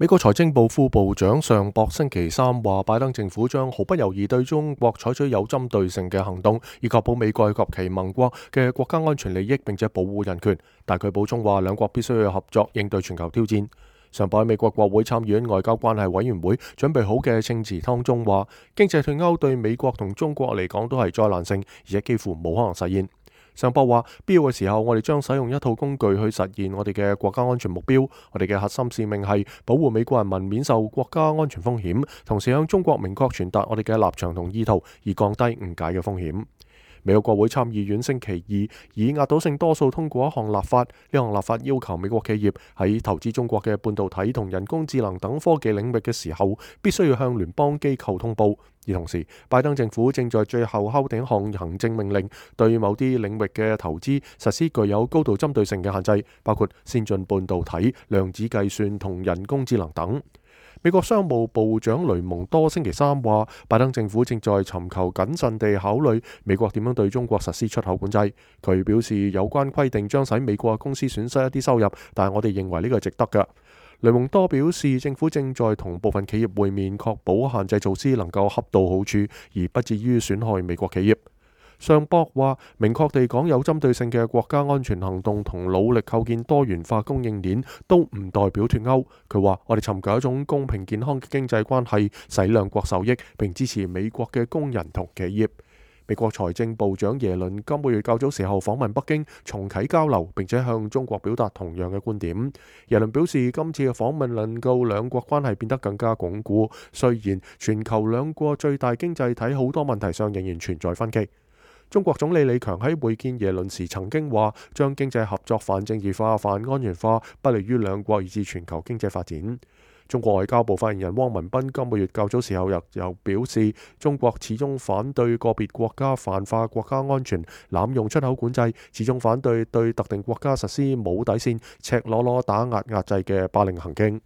美國財政部副部長尚博星期三話，拜登政府將毫不猶豫對中國採取有針對性嘅行動，以確保美國及其盟國嘅國家安全利益，並且保護人權。但佢補充話，兩國必須要合作應對全球挑戰。尚博喺美國國會參議院外交關係委員會準備好嘅證詞當中話，經濟脫鈎對美國同中國嚟講都係災難性，而且幾乎冇可能實現。尚博話，必要嘅時候，我哋將使用一套工具去實現我哋嘅國家安全目標。我哋嘅核心使命係保護美國人民免受國家安全風險，同時向中國明確傳達我哋嘅立場同意圖，以降低誤解嘅風險。美國國會參議院星期二以壓倒性多數通過一項立法，呢項立法要求美國企業喺投資中國嘅半導體同人工智能等科技領域嘅時候，必須要向聯邦機構通報。而同時，拜登政府正在最後敲定一項行政命令，對某啲領域嘅投資實施具有高度針對性嘅限制，包括先進半導體、量子計算同人工智能等。美國商務部長雷蒙多星期三話，拜登政府正在尋求謹慎地考慮美國點樣對中國實施出口管制。佢表示，有關規定將使美國嘅公司損失一啲收入，但係我哋認為呢個係值得嘅。雷蒙多表示，政府正在同部分企業會面，確保限制措施能夠恰到好處，而不至於損害美國企業。尚博話，明確地講，有針對性嘅國家安全行動同努力構建多元化供應鏈都唔代表脫鈎。佢話，我哋尋求一種公平健康嘅經濟關係，使兩國受益，並支持美國嘅工人同企業。美國財政部長耶倫今個月較早時候訪問北京，重啟交流，並且向中國表達同樣嘅觀點。耶倫表示，今次嘅訪問能夠兩國關係變得更加鞏固，雖然全球兩國最大經濟體好多問題上仍然存在分歧。中國總理李強喺會見耶倫時曾經話，將經濟合作泛政治化、泛安全化，不利於兩國以至全球經濟發展。中國外交部發言人汪文斌今個月較早時候又表示，中國始終反對個別國家泛化國家安全、濫用出口管制，始終反對對特定國家實施冇底線、赤裸裸打壓壓制嘅霸凌行徑。